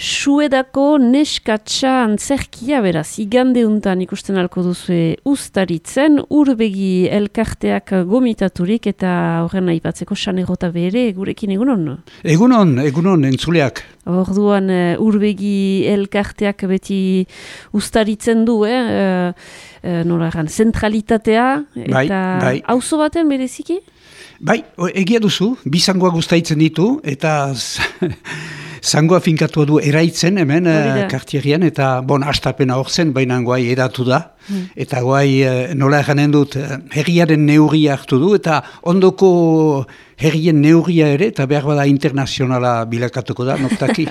Suedako neskatsa antzerkia beraz, igande untan ikusten alko duzue Uztaritzen, Urbegi elkarteak gomitaturik eta horren aipatzeko Sanerota bere gurekin egunon? Egunon, entzuleak. Orduan Urbegi elkarteak beti Uztaritzen du, noragan, zentralitatea eta auzo baten bereziki? Bai, egia duzu, bi zangoa guztaitzen ditu eta zangoa finkatua du eraitzen hemen kartierien eta astapena hor zen, baina guai edatu da. Eta guai nola eganen dut herriaren neurria hartu du eta ondoko herrien neurria ere eta behar bada internazionala bilakatuko da, noktaki.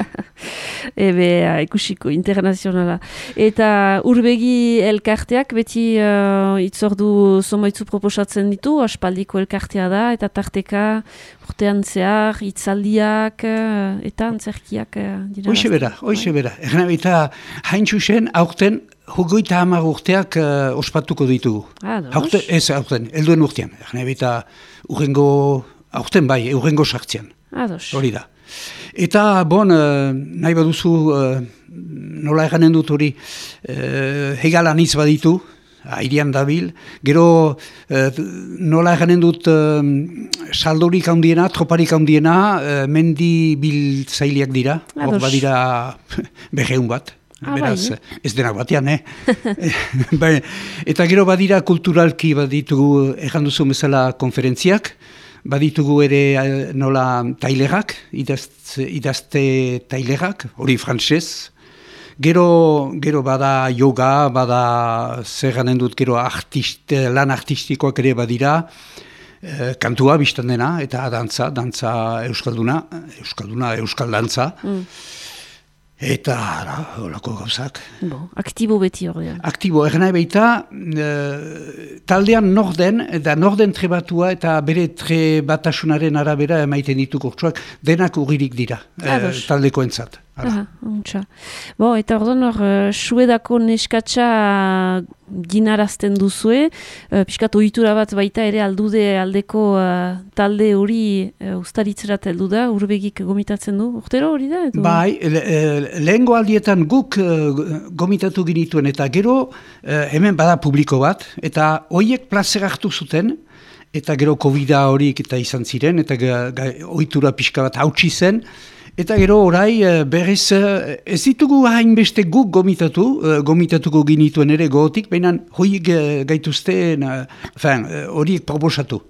Ikusiko, internazionala. Eta Urbegi elkarteak beti itzordu zomaitzu proposatzen ditu, aspaldiko elkartea da, eta tarteka urtean zehar, itzaldiak eta antzerkiak dira. Hoxe bera. Erna baita hain txusen aurten 30 urteak ospatuko ditugu. Aurten, helduen urtean. Erna baita urrengo sartzean. Hori da. Eta, nahi baduzu, nola eganen dut hori, hegalan hitz baditu, airean dabil, gero nola eganen dut saldorik handiena, troparik handiena, mendi biltzaileak dira, hor badira beheun bat. Beraz, ez denak batean, Eta gero badira kulturalki baditugu, egan duzu bezala konferentziak, baditugu ere nola tailerak, idazte tailerak, hori frantsez. Gero bada yoga, bada zer ganen dut gero lan artistikoak ere badira, kantua biztan dena, eta dantza euskalduna, euskal dantza. Eta, holako gauzak. Aktibo beti hori. Aktibo, erna baita, taldean norden trebatua eta bere trebatasunaren arabera emaiten ditu kurtsuak, denak urririk dira, taldekoentzat. Eta orduan Suedako neskatsa ginarazten duzue, pixkat ohitura bat baita ere aldeko talde hori Uztaritzerat heldu da, Urbegik gomitatzen du, urtero hori da? Bai, lehengo aldietan guk gomitatu ginituen eta gero hemen bada publiko bat, eta horiek plazer hartu zuten, eta gero COVID-a horiek eta izan ziren, eta ohitura pixka bat hautsi zen, eta gero orai berriz ez ditugu hainbeste guk gomitatuko ginituen ere gogotik, baina horiek gaituzten, horiek proposatu.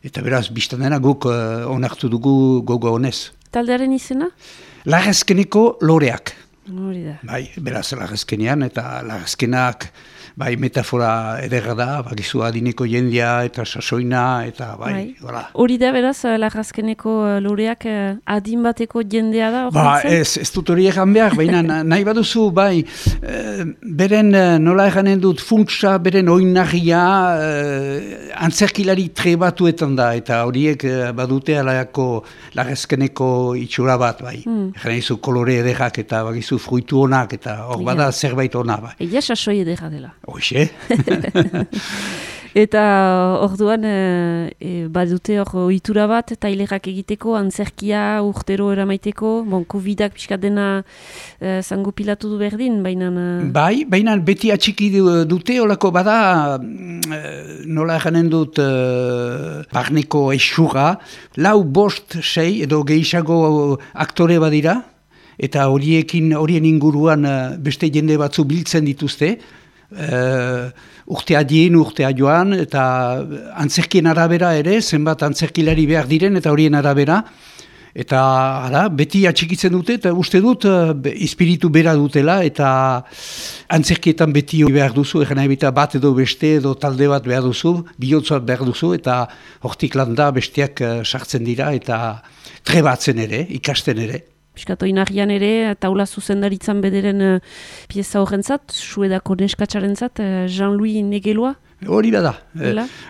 Eta beraz, biztan dena guk onartu dugu gogo honez. Taldearen izena? Larrazkeneko loreak. Hori da. Bai, beraz, larrazkenean, eta larrazkenak metafora ederra da, bakizu adineko jendea eta sasoina, eta hola. Hori da, beraz, larrazkeneko loreak adin bateko jendea da? Ez dut hori egan behar, baina nahi baduzu, beren nola eganen dut funtsa, beren oinarria antzerkilari trebatuetan da, eta horiek badute alaiako larrazkeneko itxura bat, Egan izu kolore ederrak eta bakizu fruitu honak, eta hor bada zerbait hona, Egia sasoi ederra dela. Hoxe. Eta orduan badute hor ohitura bat, tailerak egiteko, antzerkia urtero eramaiteko, COVID-ak pixkat dena zango pilatu du berdin, baina... Baina beti atxiki dute, olako bada, nola eganen dut barneko esura, 4-5 edo gehiago aktore badira, eta horien inguruan beste jende batzu biltzen dituzte, urtea joan, eta antzerkien arabera ere, zenbat antzerkilari behar diren, eta horien arabera, eta beti atxikitzen dute, eta uste dut espiritu bera dutela, eta antzerkietan beti behar duzu, egin nahi bat edo beste, edo talde bat behar duzu, bihotz bat behar duzu, eta hortik landa besteak sartzen dira, eta trebatzen ere, ikasten ere. Piskato inarrian ere, taula zuzendaritzan bederen pieza horrentzat, Suedako neskatsarentzat, Jean-Louis Negeloa? Hori da.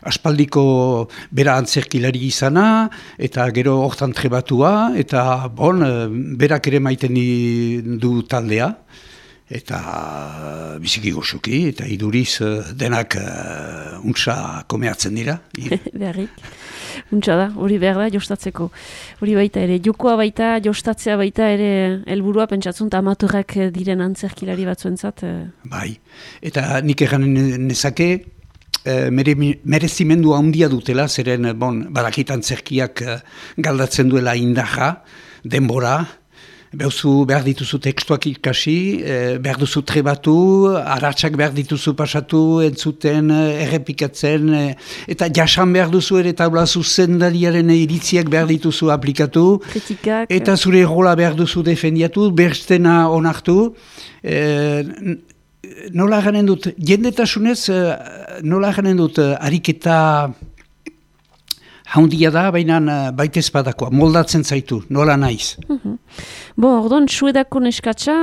Aspaldiko bera antzerkilari izana, eta gero hortan trebatua, eta berak ere maiten du taldea. eta biziki goxuki, eta iduriz denak untsa komeatzen dira. Beharrik. Untsa da, hori behar da jostatzeko. Hori baita ere, jokoa baita, jostatzea baita ere helburua pentsatzen, eta amatorrak diren antzerkilari batzuentzat. Bai, eta nik egan nezake, merezimendu handia dutela, zeren badakit antzerkiak galdatzen duela indarra, denbora, behar dituzu tekstuak ikasi, behar duzu trebatu, aratsak behar dituzu pasatu, entzuten, errepikatzen, eta jasan behar duzu ere taula zuzendariaren iritziak behar dituzu aplikatu, kritikak, eta zure rola behar duzu defendiatu, berstena onartu, nola ganen dut, jendetasunez, nola ganen dut, ariketa haundia da, baina baitez badakoa, moldatzen zaitu, nola naiz. Ordon, Suedako neskatsa,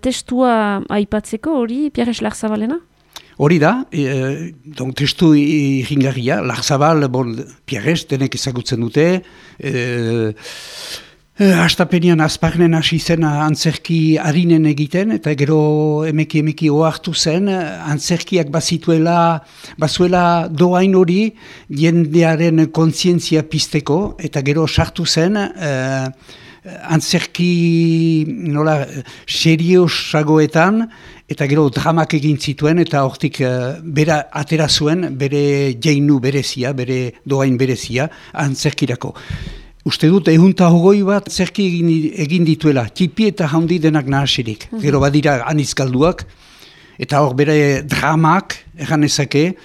testua aipatzeko hori, Pierre Larzabalena? Hori da, testu irringarria, Larzabal, Pierre denek ezagutzen dute, Hastapenian azparnen hasi zen antzerki harinen egiten, eta gero emeki ohartu zen, antzerkiak bazuela doain hori jendearen kontzientzia pizteko, eta gero sartu zen antzerki seriosagoetan, eta gero dramak egin zituen, eta hortik bera atera zuen bere jeinu berezia, bere doain berezia antzerkirako. Uste dut, 120 bat zerki egin dituela, tipi eta handi denak nahasirik. Gero badira anizkalduak, eta hor bere dramak, egan ezake,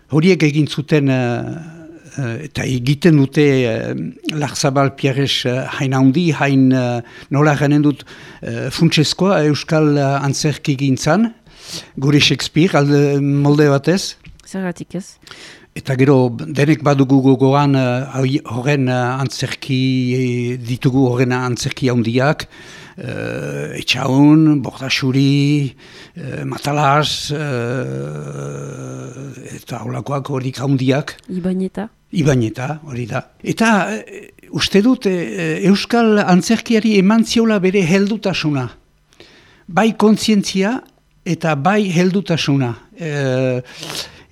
horiek egin zuten, eta egiten dute Larzabal Pierres hain handi, hain nola ganen dut funtsezkoa Euskal antzerki gintzan, gure Shakespeare, molde batez. Zergatik ez? Eta gero, denek badugu gogoan horren antzerki, ditugu horren antzerki handiak, Etxaun, Bordasuri, Matalaz, eta holakoak horik handiak. Ibañeta, hori da. Eta uste dut, Euskal antzerkiari eman ziola bere heldutasuna. Bai kontzientzia eta bai heldutasuna.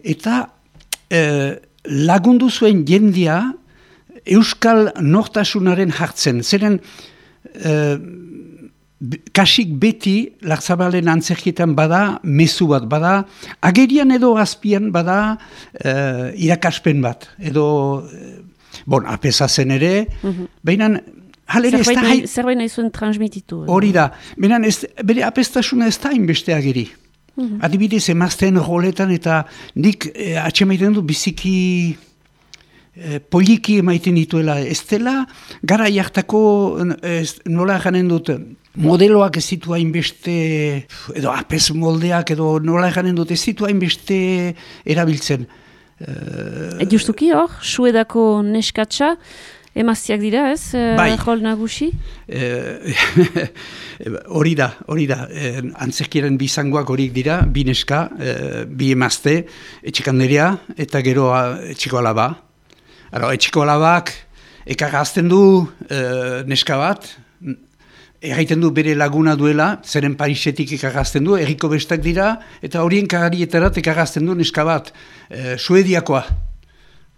Eta lagundu zuen jendea Euskal nortasunaren hartzen. Zeren kasik beti Larzabalen antzerkietan bada mezu bat, bada agerian edo azpian bada irakaspen bat. Edo, apesa zen ere, baina zerbait nahi zuen transmititu. Hori da, baina bere apestasuna ez da inbeste ageri. Adibidez, emazten roletan eta nik atxemaiten du biziki poliki emaiten dituela. Ez dela, gara jartako nola janen dut, modeloak ez zitu hainbeste, edo apes moldeak, edo nola janen dut ez zitu hainbeste erabiltzen. Justuki hor, Suedako neskatsa, emaztiak dira, ez? Bai. Rol nagusi? Hori da. Antzerkiaren bi zangoak horiek dira, bi neska, bi emazte, etxikanderia eta gero etxiko alaba. Etxiko alabak ekarrazten du neska bat, erraiten du bere laguna duela, zeren Parisetik ekarrazten du, herriko bestak dira, eta horien kararietarat ekarrazten du neska bat, Suediakoa.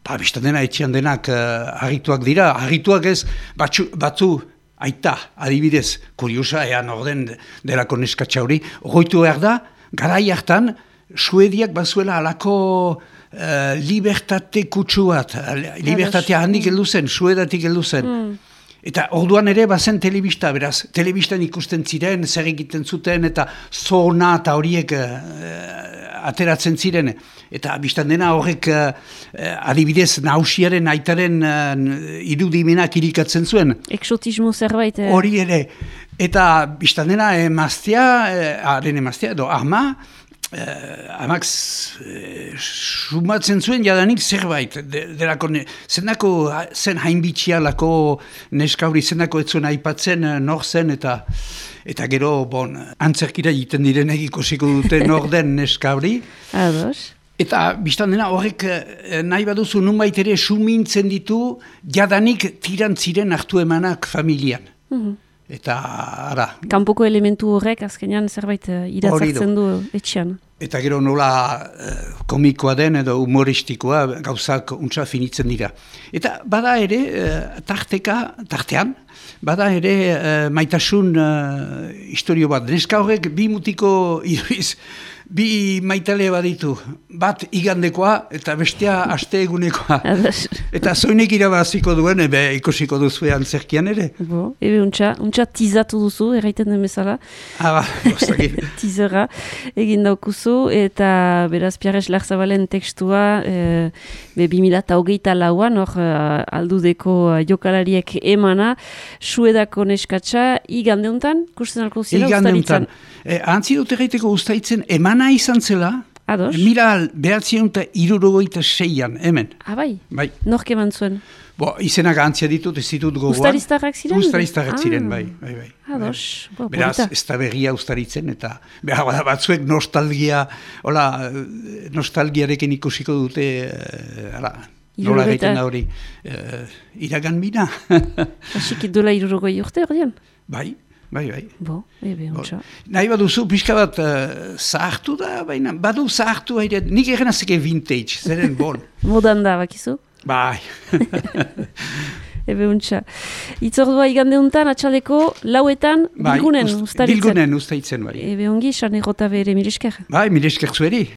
Bistan dena, etxean denak harrituak dira. Harrituak ez, batzu, aita, adibidez, kuriosa, ean orden delako neskatsa hori. Hoitu behar da, garai hartan, Suediak bazuela alako libertate kutsu bat. Libertatea handik heldu zen, Suedatik heldu zen. Eta orduan ere bazen telebista, beraz, telebistan ikusten ziren, zer egiten zuten, eta zona eta horiek ateratzen ziren. Eta biztan dena horrek adibidez nausiaren aitaren irudimenak irikatzen zuen. Exotismo zerbait. Hori ere. Eta biztan dena haren emaztea, edo amak sumatzen zuen jadanik zerbait. Zendako zen hainbitxia lako neskauri, zendako ez zuen aipatzen nor zen eta gero antzerkira egiten direnek ikusiko dute nor den neskauri. Ados. Eta biztan dena horrek nahi baduzu nunbait ere sumintzen ditu jadanik tirantziren hartu emanak familian. Eta, ara... Kanpoko elementu horrek, azkenean zerbait iratzartzen du etxean. Eta gero nola komikoa den edo humoristikoa gauzak untsa finitzen dira. Eta bada ere, tartean, bada ere maitasun historio bat. Neska horrek bi mutiko iduriz, bi maitale baditu. Bat igandekoa eta bestea aste egunekoa. Eta zoinek irabaziko duen, ikusiko duzu antzerkian ere. Ebe untsa tizatu duzu, erraiten den bezala. Tizera egin daukuzu, eta beraz Pierres Larzabalen tekstua 2024an, aldudeko jokalariek emana, Suedako neskatsa, igandeuntan, kusten alko zira ustaritzen? Antzi dut erraiteko ustaritzen emana izan zela, Ados? 1966an, hemen. Bai? Bai. Nork eman zuen? Izenak antzia ditut, ez ditut gogoan. Ustariztarrak ziren? Ustariztarrak ziren, bai. Ados. Beraz, ez da berria ustaritzen, eta batzuek nostalgiarekin ikusiko dute, nola egiten da hori, iragan bina. Hasik dola 60 urte, ordean? Bai. Ontsa. Nahi baduzu, pixka bat zahartu da, baina badu zahartu haire, nik egin azeke vintage, zeren bon. Modan da, bakizu? Bai. Ontsa. Itzordua igandeuntan, atxaleko, lauetan, bilgunen ustaritzen. Bilgunen ustaritzen, bai. Ongi, Sarne Rotabe ere, mire esker. Bai, mire esker zueri.